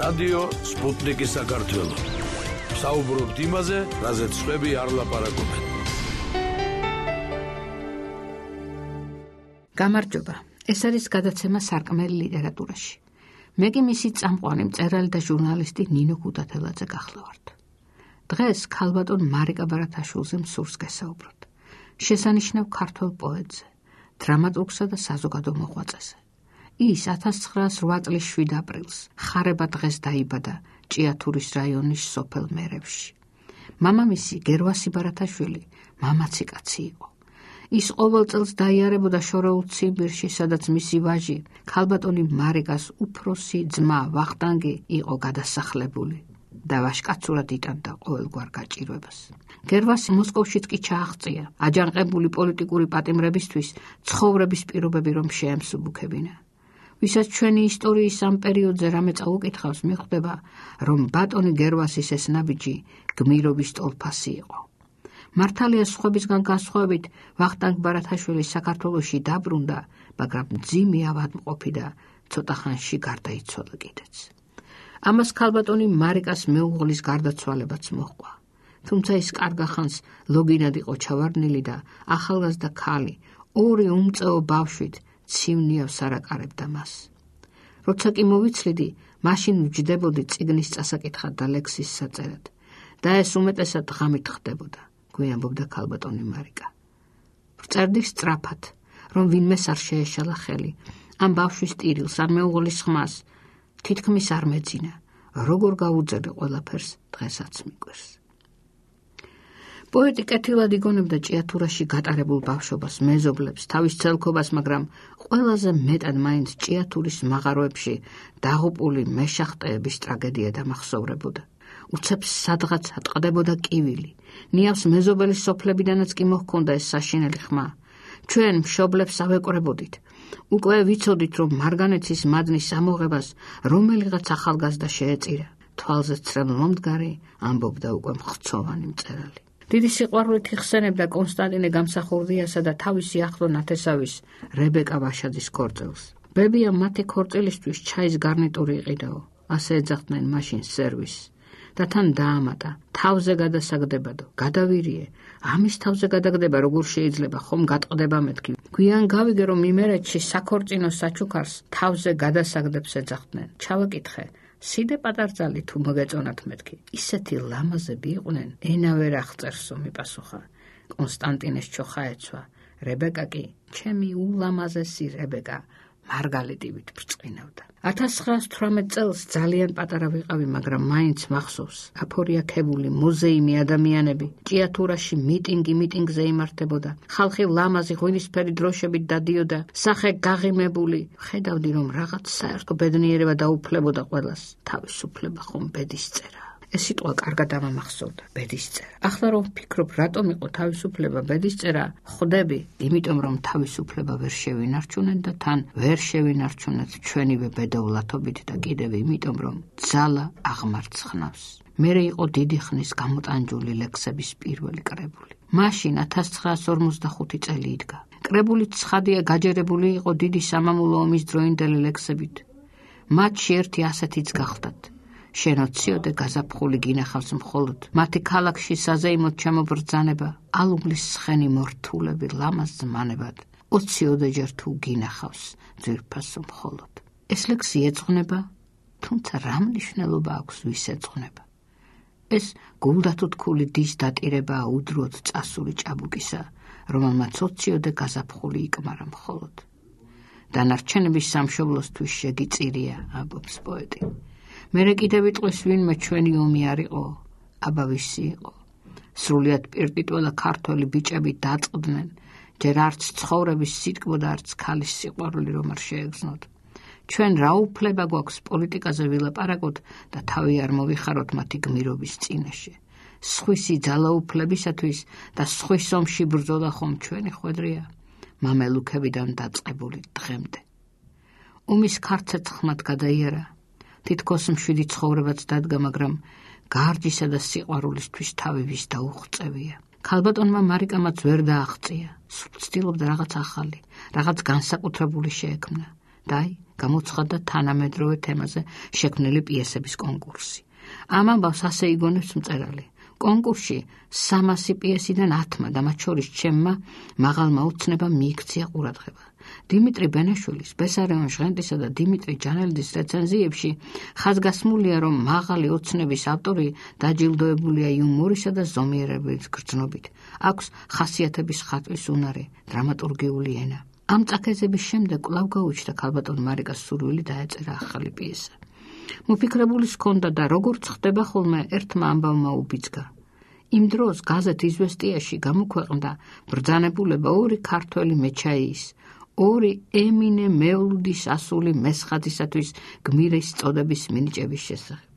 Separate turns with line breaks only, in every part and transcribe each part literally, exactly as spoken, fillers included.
რადიო სპუტნიკი საქართველო. საუბრობთ იმაზე, რაზეც სხვები არ ლაპარაკობენ.
გამარჯობა. ეს არის გადაცემა სარკმელი ლიტერატურაში. მე კი მისი წამყვანი მწერალი და ჟურნალისტი ნინო ქუთათელაძე გახლავართ. დღეს ქალბატონ მარიკა ბარათაშვილზე მსურს გესაუბროთ. შესანიშნავ ქართველ პოეტზე, დრამატურგსა და საზოგადო მოღვაწეზე. ის ათას ცხრაას რვა წლის შვიდ აპრილს ხარება დღეს დაიბადა ჭიათურის რაიონის სოფელ მერევში. მამამისი გერვასი ბარათაშვილი მამაცი კაცი იყო. ის ყოველ წელს დაიარებოდა შორეულ ციმბირში, სადაც მისი ვაჟი, ქალბატონი მარიკას უფროსი ძმა ვახტანგი იყო გადასახლებული და ვაჟკაცურად იტანდა ყოველგვარ გაჭირვებას. გერვასი მოსკოვშიც კი ჩააღწია, აჯანყებული პოლიტიკური პატიმრებისთვის ცხოვრების პირობები რომ შეემსუბუქებინა. ვისაც ჩვენი ისტორიის ამ პერიოდზე რამე წაუკითხავს, მიხვდება, რომ ბატონი გერვასის ეს ნაბიჯი გმირობის ტოლფასი იყო. მართალია სხვებისგან განსხვავებით, ვახტანგ ბარათაშვილი საქართველოში დაბრუნდა, მაგრამ მძიმე ავადმყოფი და ცოტა ხანში გარდაიცვალა კიდეც. ამას ქალბატონი მარიკას მეუღლის გარდაცვალებაც მოჰყვა. თუმცა ის კარგახანს ლოგინად იყო ჩავარდნილი და ახალგაზრდა ქალი ორი უმწეო ბავშვით ცივნიავს არაკარებდა მას. როცა კი მოვიცლიდი, მაშინ ვჯდებოდი წიგნის წასაკითხად და ლექსის საწერად და ეს უმეტესად ღამით ხდებოდა, გვიამბობდა ქალბატონი მარიკა. ვწერდი სწრაფად, რომ ვინმეს არ შეეშალა ხელი, ამ ბავშვის ტირილს, ამ მეუღლის ხმას, თითქმის არ მეძინა, როგორ გავუძერდი ყველაფერს, დღესაც მიკვირს. პოეტი კეთილად იგონებდა ჭიათურაში გატარებულ ბავშვობას, მეზობლებს, თავის ცელქობას, მაგრამ ყველაზე მეტად მაინც ჭიათურის მაღაროებში დაღუპული მეშახტეების ტრაგედია დამახსოვრებოდა. უცებს სადღაც ატყდებოდა კივილი, ნიავს მეზობელის სოფლებიდანაც კი მოჰქონდა ეს საშინელი ხმა. ჩვენ მშობლებს ავეკვრებოდით. უკვე ვიცოდით, რომ მარგანეცის მადნის ამოღებას რომელიღაც ახალგაზრდა შეეწირა. თვალზე ცრემლ მომდგარი, ამბობდა უკვე მხცოვანი მწერალი. დიდი სიყვარულით იხსენებდა კონსტანტინე გამსახურდიასა და თავისი ახლო ნათესავის რებეკა ვაშაძის ქორწილს. ბებია მათი ქორწილისთვის ჩაის გარნიტური იყიდაო, ასე ეძახდნენ მაშინ სერვისს. და თან დაამატა, თავზე გადასაგდებადო, გადავირიე, ამის თავზე გადაგდება, როგორ შეიძლება, ხომ გატყდება მეთქი. გვიან გავიგე, რომ იმერეთში საქორწინო საჩუქარს თავზე გადასაგდებს ეძახდნენ. ჩავაკითხე, სიდე პატარძალი თუ მოგეწონათ მეთქი. ისეთი ლამაზები იყვნენ, ენა ვერ აღწერსო, მიპასუხა. კონსტანტინეს ჩოხა ეცვა, რებეკა კი, ჩემი ულამაზესი რებეკა, მარგალიტივით ბრწყინავდა. ათას ცხრაას თვრამეტ წელს ძალიან პატარა ვიყავი, მაგრამ მაინც მახსოვს. აფორიაქებული მოზეიმი ადამიანები, ჭიათურაში მიტინგი მიტინგზე იმართებოდა. ხალხი ლამაზი ღვინისფერი დროშებით დადიოდა, სახე გაღიმებული. ხედავდი, რომ რაღაც საერთო ბედნიერება დაუფლებოდა ყველას. თავისუფლება ხომ ბედისწერა. ეს სიტყვა კარგად ამამახსოვდა, ბედისწერა. ახლა რომ ვფიქრობ, რატომ იყო თავისუფლება ბედისწერა, ხვდები, იმიტომ რომ თავისუფლება ვერ შევინარჩუნეთ და თან ვერ შევინარჩუნეთ ჩვენივე ბედოვლათობით და კიდევ იმიტომ რომ ძალა აღმარცხნავს. მერე იყო დიდი ხნის გამოტანჯული ლექსების პირველი კრებული. მაშინ ათას ცხრაას ორმოცდახუთი წელი იდგა. კრებული ცხადია გაჯერებული იყო დიდი სამამულო ომის დროინდელი ლექსებით. მათში ერთი ასეთიც გახდათ. შენოციოდე გაზაფხული გინახავს მხოლოდ, მათი ქალაქში საზეიმოდ ჩამობრძანება, ალუბლის ცხენი მორთულები ლამაზ ზმანებად, ოციოდეჯერ თუ გინახავს ძვირფასო მხოლოდ. ეს ლექსი ეძღვნება, თუმცა რა მნიშვნელობა აქვს ვის ეძღვნება? ეს გულდათუთქული დის დატირებაა უდრუოდ წასული ჭაბუკისა, რომელმაც ოციოდე გაზაფხული იკმარა მხოლოდ. დანარჩენების სამშობლოსთვის შეგიწირია, ამბობს პოეტი. მერე კიდევ იტყვის ვინმე ჩვენი ომი არ იყო, აბა ვისი იყო. სრულიად პირტიტველა ქართველი ბიჭები დაწყდნენ, ჯერ არც ცხოვრების სიტკბო და არც ქალის სიყვარული რომ არ შეეგრძნოთ. ჩვენ რა უფლება გვაქვს პოლიტიკაზე ვილაპარაკოთ და თავი არ მოვიხაროთ მათი გმირობის წინაშე. სხვისი ძალაუფლებისათვის და სხვის ომში ბრძოლა ხომ ჩვენი ხვედრია, მამელუქებიდან დაწყებული დღემდე. ომის ქარცეცხლად გადაიარა, თითქოს მშვიდი ცხოვრებაც დადგა, მაგრამ გარჯისა და სიყვარულისთვის თავი ვის დაუღწევია. ქალბატონმა მარიკამაც ვერ დააღწია, სულ ცდილობდა რაღაც ახალი, რაღაც განსაკუთრებული შეექმნა. და აი, გამოცხადდა თანამედროვე თემაზე შექმნილი პიესების კონკურსი. ამ ამბავს ასე იგონებს მწერალი. კონკურსში სამასი პიესიდან ათმა და მათ შორის ჩემმა მაღალმა ოცნებამ მიიქცია ყურადღება. დიმიტრი ბენაშვილის, ბესარიონ ჟღენტისა და დიმიტრი ჯანელიძის რეცენზიებში ხაზგასმულია, რომ მაღალი ოცნების ავტორი დაჯილდოებულია იუმორისა და ზომიერების გრძნობით. აქვს ხასიათების ხატვის უნარი, დრამატურგიული ენა. ამ წაქეზების შემდეგ კვლავ გაუჩნდა ქალბატონ მარიკას სურვილი დაეწერა ახალი პიესა. მოფიქრებულის ჰქონდა და როგორც ხდება ხოლმე ერთმა ამბავმა უბიძგა. იმ დროს გაზეთ „იზვესტიაში“ გამოქვეყნდა ბრძანებულება ორი ქართველი მეჩაიის, ორი ემინე მევლუდის ასული მესხათისათვის გმირის წოდების მინიჭების შესახებ.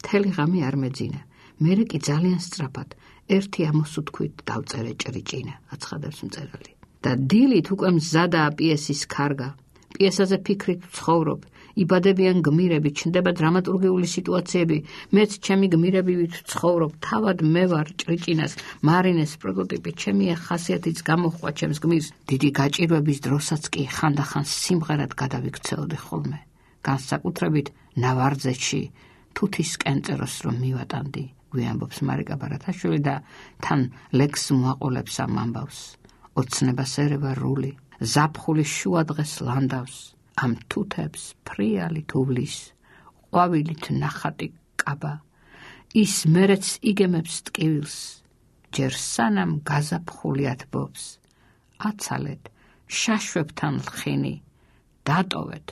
მთელი ღამე არ მეძინა. მერე კი ძალიან სწრაფად ერთი ამოსუთქვით დავწერე ჭრიჭინა, აცხადებს მწერალი. და დილით უკვე მზადაა პიესის ქარგა. პიესაზე ფიქრით ვცხოვრობ, იბადებიან გმირები, ჩნდება დრამატურგიული სიტუაციები, მეც ჩემი გმირებივით ვცხოვრობ, თავად მე ვარ ჭრიჭინას, მარინეს პროტოტიპი, ჩემი ხასიათიც გამოჰყვა ჩემს გმირს. დიდი გაჭირვების დროსაც კი ხანდახან სიმღერად გადავიქცეოდი ხოლმე. განსაკუთრებით ნავარძეთში თუთის კენწეროს რომ მივატანდი, გვიამბობს მარიკა ბარათაშვილი და თან ლექს მოაყოლებს ამ ამბავს. ოცნებას ერევა რული, ზაფხულის შუა დღეს ლანდავს, ამ თუთებს ფრიალი თოვლის, ყვავილით ნახატი კაბა, ის მერეც იგემებს ტკივილს, ჯერ სანამ გაზაფხულიათ ბობს, აცალეთ შაშვებთან ლხინი, დატოვეთ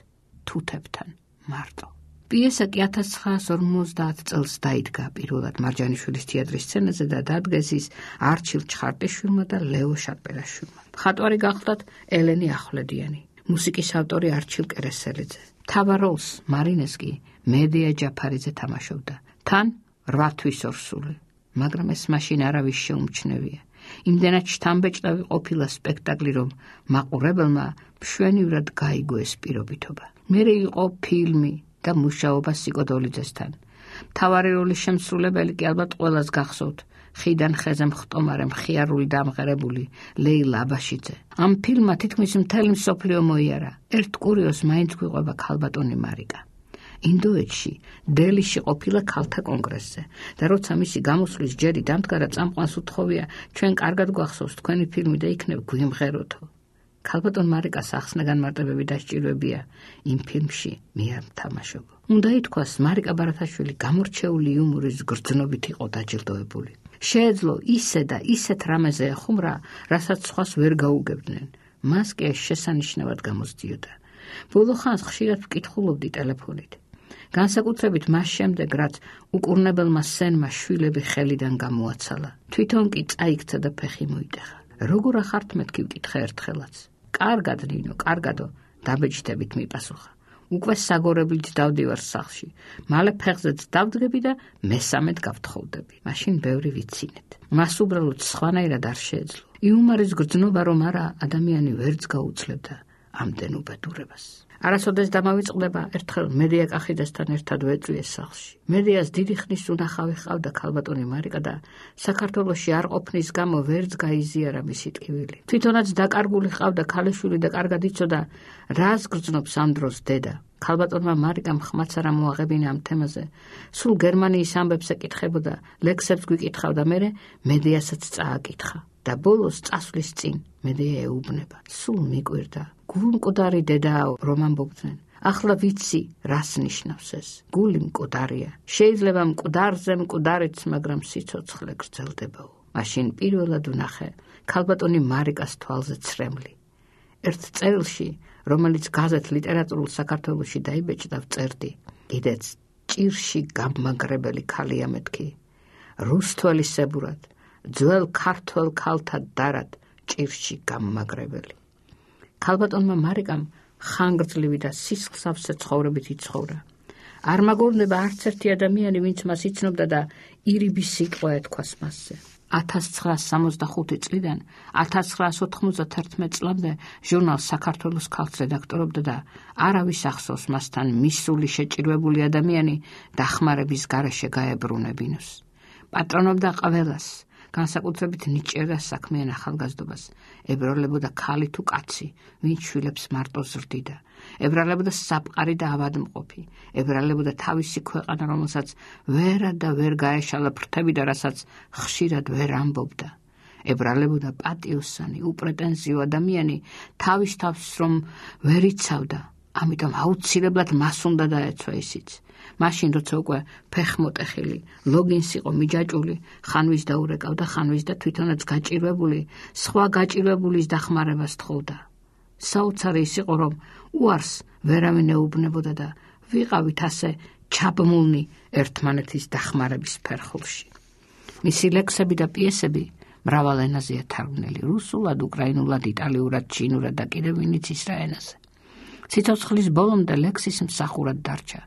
თუთებთან მარტო. პიესა კი ათას ცხრაას ორმოცდაათ წელს დაიდგა პირველად მარჯანიშვილის თეატრის სცენაზე და დადგეს ის არჩილ ჩხარტიშვილმა და ლეო შატბერაშვილმა. მხატვარი გახლდათ ელენი ახვლედიანი, მუსიკის ავტორი არჩილ კერესელიძე. მთავარ როლს მარინეს კი მედია ჯაფარიძე თამაშობდა. თან რვა თვის ორსული, მაგრამ ეს მაშინ არავის შეუმჩნევია. იმდენად შთამბეჭდავი ყოფილა სპექტაკლი, რომ მაყურებელმა მშვენივრად გაიგო ეს პირობითობა. მერე იყო ფილმი და მუშაობა სიკოდოლიძესთან. მთავარი როლის შემსრულებელი კი ალბათ ყველას გახსოვთ, ხიდან ხეზე მხტომარე მხიარული დამღერებული ლეილა აბაშიძე. ამ ფილმმა თითქმის მთელი მსოფლიო მოიარა. ერთ კურიოზს მაინც გვიყვება ქალბატონი მარიკა. ინდოეთში, დელიში ყოფილა ქალთა კონგრესზე და როცა მისი გამოსვლის ჯერი დამდგარა, წამყვანს უთხოვია, ჩვენ კარგად გვახსოვს თქვენი ფილმი და იქნებ გვიმღეროთო. ქალბატონ მარიკას ახსნა განმარტებები დასჭირვებია, იმ ფილმში მე არ ვთამაშობ. უნდა ითქვას, მარიკა ბარათაშვილი გამორჩეული იუმორის გრძნობით იყო დაჯილდოებული. შეეძლო ისე და ისეთ რამეზე ეხუმრა, რასაც სხვას ვერ გაუგებდნენ. მას კი ეს შესანიშნავად გამოსდიოდა. ბოლო ხანს ხშირად ვკითხულობდი ტელეფონით. განსაკუთრებით მას შემდეგ, რაც უკურნებელმა სენმა შვილები ხელიდან გამოაცალა. თვითონ კი წაიქცა და ფეხი მოიტეხა. როგორ ახართ მეთქი ვკითხე ერთხელაც. კარგად ნინო, კარგადო, დაბეჭდებით მიპასუხა. უკვე საგორებლით დავდივარ სახლში. მალე ფეხზეც დავდგები და მესამედ გავთხოვდები. მაშინ ბევრი ვიცინეთ. მას უბრალოდ სხვანაირად არ შეეძლო. იუმორის გრძნობა რომ არა, ადამიანი ვერც გაუძლებდა ამდენ უბედურებას. არასოდეს დამავიწყდება, ერთხელ მედია კახიძესთან ერთად ვეწვიეს სახლში. მედიას დიდი ხნის უნახავი ჰყავდა ქალბატონი მარიკა და საქართველოში არ ყოფნის გამო ვერც გაიზიარა მისი ტკივილი. თვითონაც დაკარგული ჰყავდა ქალიშვილი და კარგად იცოდა, რას გრძნობს ამ დროს დედა. ქალბატონმა მარიკამ ხმაც არ მოაღებინა ამ თემაზე. სულ გერმანიის ამბებს ეკითხებოდა, ლექსებს გვიკითხავდა, მერე მედიასაც წააკითხა. და ბოლოს წასვლის წინ მედია ეუბნება. სულ მიკვირდა. გულ მკვდარი დედაო, რომ ამბობდნენ. ახლა ვიცი, რას ნიშნავს ეს. გული მკვდარია. შეიძლება მკვდარზე მკვდარიც, მაგრამ სიცოცხლე გრძელდებაო. მაშინ პირველად ვნახე ქალბატონი მარიკას თვალზე ცრემლი. ერთ წერილში, რომელიც გაზეთ ლიტერატურულ საქართველოში დაიბეჭდა, ვწერდი. კიდეც ჭირში გამაგრებელი ქალია მეთქი. რუსთველისებურად, ძველ ქართველ ქალთა დარად ჭირში გამაგრებელი. ქალბატონმა მარიკამ ხანგრძლივი და სისხლსავსე ცხოვრებით იცხოვრა. არ მაგორნება არც ერთი ადამიანი, ვინც მას იცნობდა და ირიბი სიტყვა ეთქვას მასზე. ათას ცხრაას სამოცდახუთი წლიდან ათას ცხრაას ოთხმოცდათერთმეტ წლამდე ჟურნალ საქართველოს ქალს რედაქტორობდა და არავის ახსოვს მასთან მისული შეჭირვებული ადამიანი დახმარების გარეშე გაებრუნებინოს. პატრონობდა ყველას, განსაკუთრებით ნიჭიერდა საქმიან ახალგაზრდობას, ებრალებოდა ქალი თუ კაცი, ვინც შვილებს მარტო ზრდიდა, ებრალებოდა საფყარი და ავადმყოფი, ებრალებოდა თავისი ქვეყანა, რომელსაც ვერა და ვერ გაეშალა ფრთები და რასაც ხშირად ვერ ამბობდა. ებრალებოდა პატიოსანი, უპრეტენზიო ადამიანი, თავის თავს რომ ვერ იცავდა, ამიტომ აუცილებლად მას უნდა დაეცვა ისიც. მაშინ როცა უკვე ფეხმოტეხილი, ლოგინს იყო მიჯაჭული, ხანვის დაურეკავდა ხანვის და თვითონაც გაჭირვებული, სხვა გაჭირვებულის დახმარებას თხოვდა. საოცარი ის იყო, რომ უარს ვერავინ ეუბნებოდა და ვიყავით ასე ჩაბმულნი ერთმანეთის დახმარების ფერხულში. მისი ლექსები და პიესები მრავალ ენაზეა თარგმნილი, რუსულად, უკრაინულად, იტალიურად, ჩინურად და კიდევ ვინც ისრა ენაზე. სიცოცხლის ბოლომდე ლექსის მსახურად დარჩა.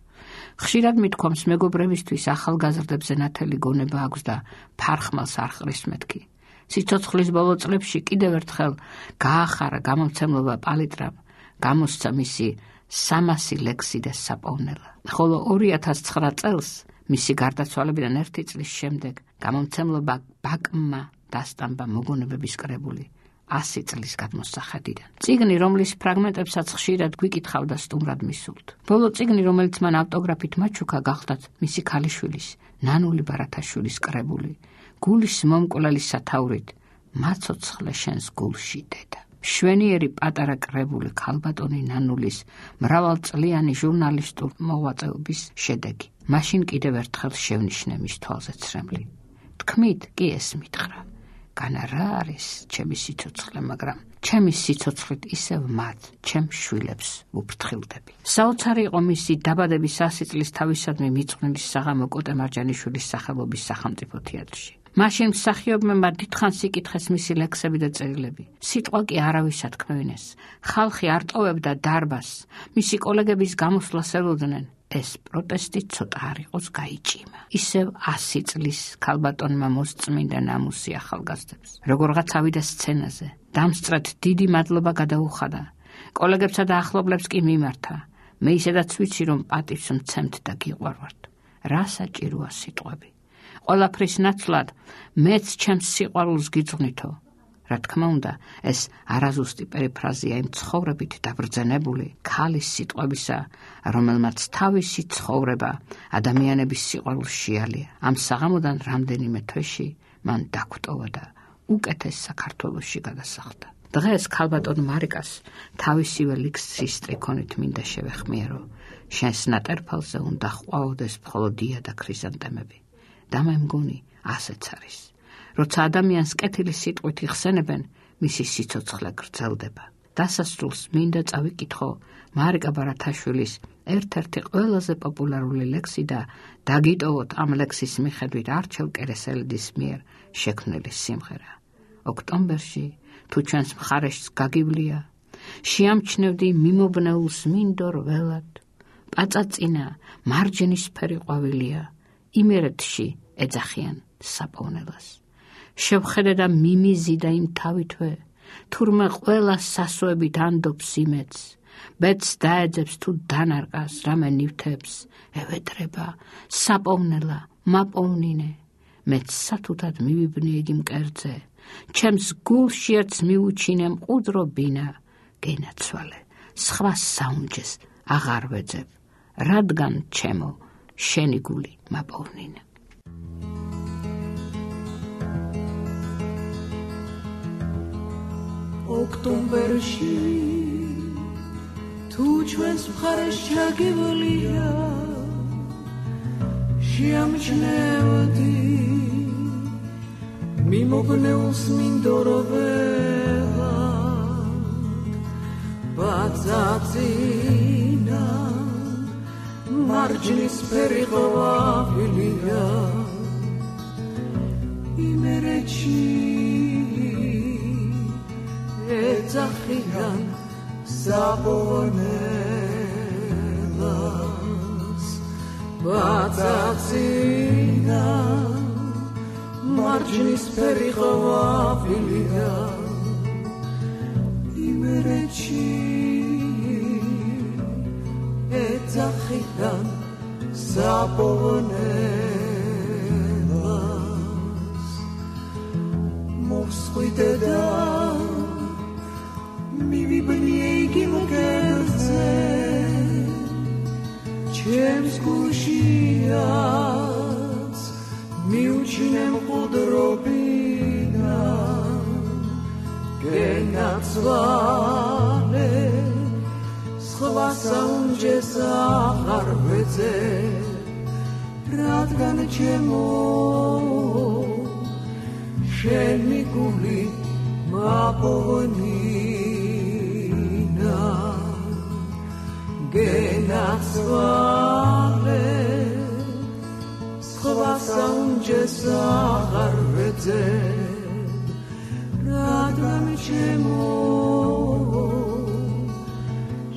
ხშირად მithქვამს მეგობრებისთვის ახალგაზრდებზე ნათელი გონება აქვს და ფარხმალს არ ხრის მეთქი. სიცოცხლის ბოლო წლებში კიდევ ერთხელ გაახარა გამომცემლობა პალიტრამ, გამოსცა მისი სამასი ლექსი და საპოვნელა. ხოლო ორი ათას ცხრა წელს მისი გარდაცვალებიდან ერთი წლის შემდეგ გამომცემლობა ბაკმა დასტამბა მოგონებების კრებული ასი წლის გადმოსახედიდან. წიგნი, რომლის ფრაგმენტებსაც ხშირად გვიკითხავდა სტუმრად მისულთ. ბოლო წიგნი, რომელიც მან ავტოგრაფით მაჩუქა, გახდათ მისი ქალიშვილის, ნანული ბარათაშვილის კრებული, გულის მომკვლელი სათაურით, მაცოცხლე შენს გულში დედა. შვენიერი პატარა კრებული ქალბატონი ნანულის მრავალწლიანი ჟურნალისტურ მოღვაწეობის შედეგი. მაშინ კიდევ ერთხელ შევნიშნე მის თვალზე ცრემლი. თქმით კი ეს მითხრა. განა რა არის ჩემი სიცოცხლე, მაგრამ ჩემი სიცოცხლით ისევ მათ, ჩემ შვილებს ვუფრთხილდები. საოცარი იყო მისი დაბადების ასი წლის თავისადმი მიწყვნილი საღამო კოტე მარჯანიშვილის სახელობის სახელმწიფო თეატრში. მაშინ მსახიობმა დიდხანს იკითხეს მისი ლექსები და წერილები. სიტყვა კი არავის ათქმევინეს. ხალხი არ ტოვებდა დარბაზს, მისი კოლეგების გამოსვლას ელოდნენ. ეს პროტესტი ცოტა არ იყოს გაიჭიმა. ისევ ასი წლის ქალბატონმა მოსწმინდა ნამუსი ახალგაზრდებს. როგორღაც ავიდა სცენაზე, დამსწრეთ დიდი მადლობა გადაუხადა. კოლეგებსა და ახლობლებს კი მიმართა. მე ისედაც ვიცი, რომ პატივს მცემთ და გიყვარვართ. რა საჭიროა სიტყვები. ყველაფრის ნაცვლად მეც ჩემს სიყვარულს გიძღვნითო. რა თქმა უნდა, ეს არაზუსტი პერიფრაზია იმ ცხოვრებით დაბრძენებული ქალის სიტყვებისა, რომელმაც თავისი ცხოვრება ადამიანების სიყვარულს შეალია. ამ საღამოდან რამდენიმე თვეში მან დაგვტოვა და უკეთეს საქართველოში გადასახლდა. დღეს ქალბატონ მარიკას თავისივე ლექსის სტრიქონით მინდა შევეხმიერო. შენს ნატერფალზე უნდა ყვაოდეს მხოლოდ დია და ქრიზანტემები. და მე მგონი ასეც არის. როცა ადამიანს კეთილი სიტყვით იხსენებენ, მისი სიცოცხლე გრძელდება. დასასრულს მინდა წავიკითხო მარიკა ბარათაშვილის ერთ-ერთი ყველაზე პოპულარული ლექსი და დაგიტოვოთ ამ ლექსის მიხედვით არჩევ კერესელიძის მიერ შექმნილი სიმღერა. ოქტომბერში თუ ჩვენს მხარეშს გაგივლია, შეამჩნევდი მიმობნეულს მინდორ ველად, პაწაწინა მარჯნისფერი ყვავილია, იმერეთში ეძახიან საპოვნელას. შევხედე და მიმიზი და იმ თავითვე, თურმე ყველა სასოებით ანდობს იმეც, ბედს დაეძებს თუ დანარყას, რამე ნივთებს, ევედრება, საპოვნელა, მაპოვნინე, მეც სათუთად მივიბნე იგი მკერდზე, ჩემს გულში ერთს მიუჩინე მყუდრო ბინა, გენაცვალე, სხვა საუნჯეს აღარ ვეძებ, რადგან ჩემო, შენი გული მაპოვნინე.
ოქტომბერში თუ ჩვენს მხარეს ჩაგივლია, შეამჩნევდი მიმობნეულს მინდორო ველად, პაწაწინა მარჯნისფერი ყვავილია, იმერეთში ეძახიან საპოვნელას, პაწაწინა მარჯნისფერი ყვავილია, იმერეთში ეძახიან საპოვნელას. სხვიდედა მივიბნიე იგი მგელზე ჩემს გულშიაც მიუჩინე მყუდრობინა გენაცვალე სხვა საუნჯეს აღარ ვეძე რადგან ჩემო შენი გული მაპოვნინა გენაცვალე სხვა საუნჯეს აღარ ვეძე რადგან ჩემო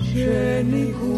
შენი გული